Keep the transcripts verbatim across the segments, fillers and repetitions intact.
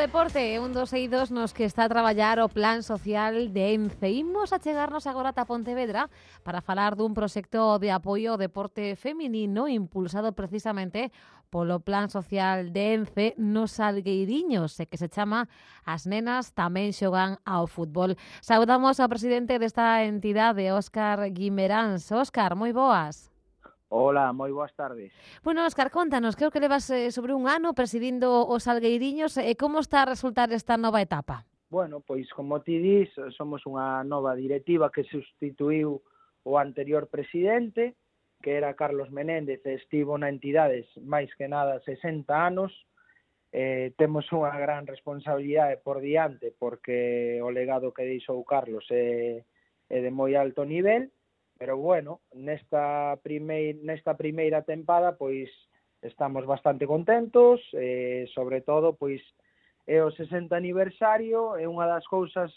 deporte, un dos eidos nos que está a traballar o Plan Social de Ence. Imos a chegarnos agora ata Pontevedra para falar dun proxecto de apoio ao deporte feminino impulsado precisamente polo Plan Social de Ence nos Salgueiriños, e que se chama As nenas tamén xogan ao fútbol. Saudamos ao presidente desta entidade, Óscar Guimeráns. Óscar, moi boas. Hola, moi boas tardes. Bueno, Óscar, contanos, creo que levas eh, sobre un ano presidindo os Salgueiriños e como está a resultar esta nova etapa? Bueno, pois como ti dis, somos unha nova directiva que sustituiu o anterior presidente, que era Carlos Menéndez, e estivo na entidades máis que nada sesenta anos. Eh, temos unha gran responsabilidade por diante porque o legado que deixou Carlos é, é de moi alto nivel. Pero bueno, nesta, primeir, nesta primeira tempada pois estamos bastante contentos, eh, sobre todo pois é o sesenta aniversario, e unha das cousas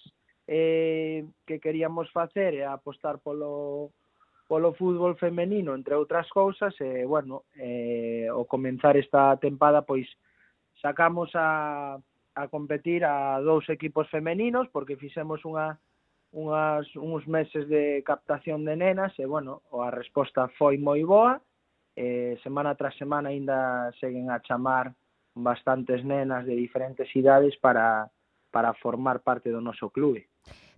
eh, que queríamos facer é apostar polo, polo fútbol femenino, entre outras cousas, e bueno, eh, ao comenzar esta tempada pois sacamos a, a competir a dous equipos femeninos, porque fixemos unha unhas, uns meses de captación de nenas e, bueno, a resposta foi moi boa. Eh, semana tras semana ainda seguen a chamar bastantes nenas de diferentes idades para, para formar parte do noso clube.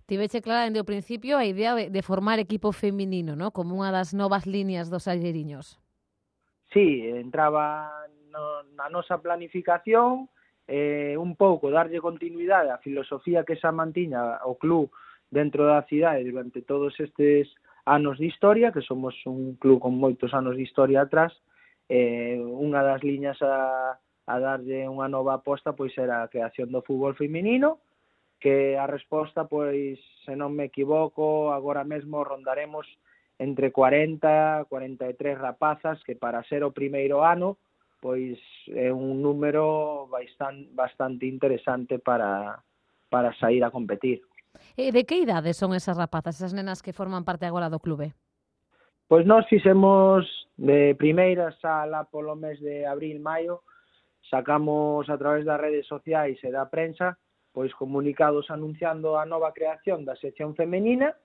Tiveche clara dende o principio a idea de, de formar equipo feminino, ¿no? Como unha das novas líneas dos Salgueiriños. Sí, entraba no, na nosa planificación, eh, un pouco darlle continuidade á filosofía que xa mantiña o club dentro da cidade durante todos estes anos de historia, que somos un club con moitos anos de historia atrás. Eh, unha das liñas a, a darlle unha nova aposta pois era a creación do fútbol feminino, que a resposta, pois, se non me equivoco, agora mesmo rondaremos entre cuarenta, cuarenta e tres rapazas, que para ser o primeiro ano, pois é un número bastante, bastante interesante para, para sair a competir. E de que idades son esas rapazas, esas nenas que forman parte agora do clube? Pois nós fixemos de primeira sala polo mes de abril, maio, sacamos a través das redes sociais e da prensa pois comunicados anunciando a nova creación da sección femenina,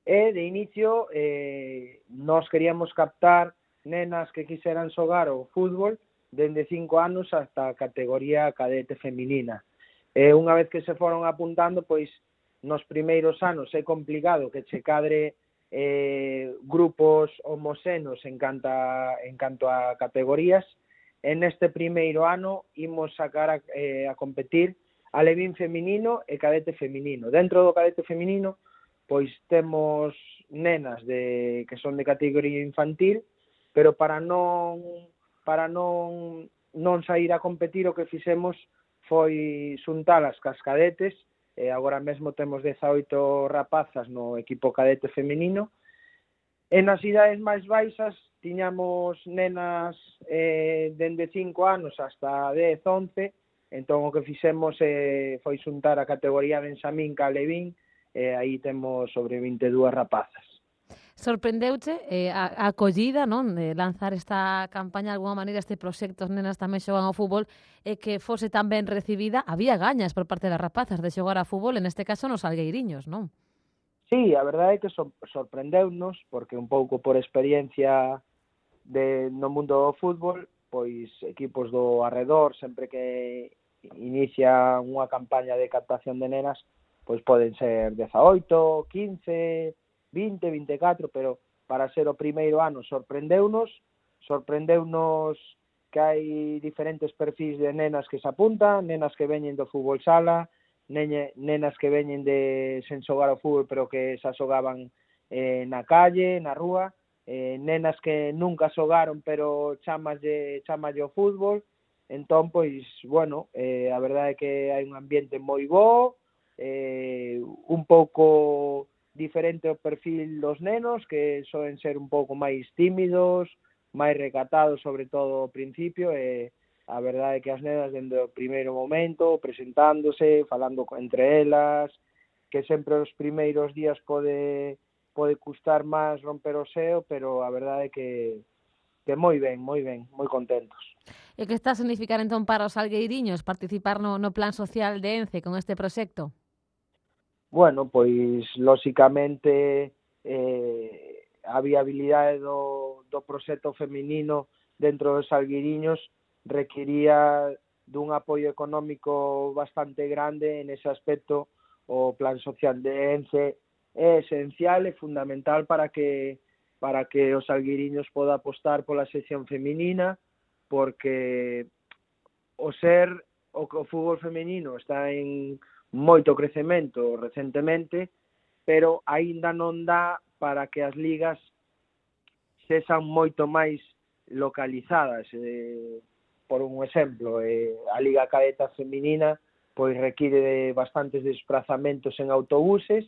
e de inicio eh, nós queríamos captar nenas que quixeran xogar o fútbol dende cinco anos hasta a categoría cadete feminina. E unha vez que se foron apuntando, pois nos primeiros anos é complicado que che cadre eh, grupos homoxenos en canto a, en canto a categorías. En este primeiro ano imos sacar a, eh, a competir alevín feminino e cadete feminino. Dentro do cadete feminino pois temos nenas de que son de categoría infantil, pero para non para non non sair a competir o que fixemos foi xuntalas cas cadetes. E agora mesmo temos dezaoito rapazas no equipo cadete feminino. E nas idades máis baixas tiñamos nenas eh, dende cinco anos hasta dez, once, entón o que fixemos eh, foi xuntar a categoría Benxamín ca Levín, e aí temos sobre vinte e dúas rapazas. Sorprendeuche eh, a, a acollida, non, de lanzar esta campaña de alguma maneira, este proxecto, as nenas tamén xogan ao fútbol, e que fose tan ben recibida? Había gañas por parte das rapazas de xogar a fútbol, en este caso nos Salgueiriños, non? Sí, a verdade é que so, sorprendeunos, porque un pouco por experiencia de, no mundo do fútbol, pois equipos do arredor, sempre que inicia unha campaña de captación de nenas, pois poden ser dezaoito, quince, vinte, vinte e catro, pero para ser o primeiro ano sorprendeunos, sorprendeunos que hai diferentes perfis de nenas que se apuntan, nenas que veñen do fútbol sala, nene, nenas que veñen de sen xogar ao fútbol pero que xa xogaban eh, na calle, na rúa, eh, nenas que nunca xogaron pero chamalle, chamalle o fútbol. Entón, pois, bueno, eh, a verdade é que hai un ambiente moi bo, eh, un pouco diferente o perfil dos nenos, que soen ser un pouco máis tímidos, máis recatados, sobre todo ao principio, e a verdade é que as nenas, dende o primeiro momento, presentándose, falando entre elas, que sempre os primeiros días pode, pode custar máis romper o seo, pero a verdade é que que moi ben, moi ben, moi contentos. E que está a significar entón para os salgueiriños participar no, no plan social de ENCE con este proxecto? Bueno, pois, lóxicamente, eh, a viabilidade do, do proxecto feminino dentro dos salgueiriños requiría dun apoio económico bastante grande. En ese aspecto, o plan social de ENCE é esencial e fundamental para que para que os salgueiriños poda apostar pola sección feminina, porque o ser o, o fútbol feminino está en moito crecemento recentemente, pero aínda non dá para que as ligas sexan moito máis localizadas. Eh, por un exemplo, eh, a Liga Cadeta Feminina pois require de bastantes desplazamentos en autobuses,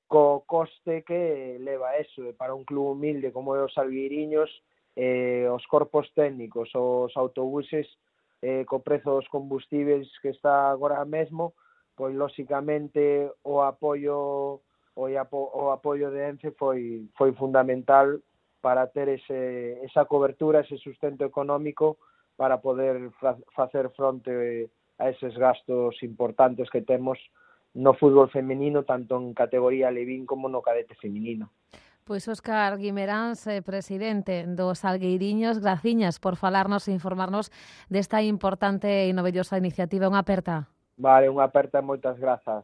co coste que leva eso. Para un club humilde como é os Salgueiriños, eh, os corpos técnicos, os autobuses, eh, co prezo dos combustibles que está agora mesmo, pois lóxicamente o apoio o, apo, o apoio de ENCE foi foi fundamental para ter ese esa cobertura, ese sustento económico para poder fa, facer fronte a eses gastos importantes que temos no fútbol feminino, tanto en categoría Levín como no cadete feminino. Pois Óscar Guimeráns, eh, presidente dos Salgueiriños, graciñas por falarnos e informarnos desta importante e novellosa iniciativa. Unha aperta. Vale, unha aperta e moitas grazas.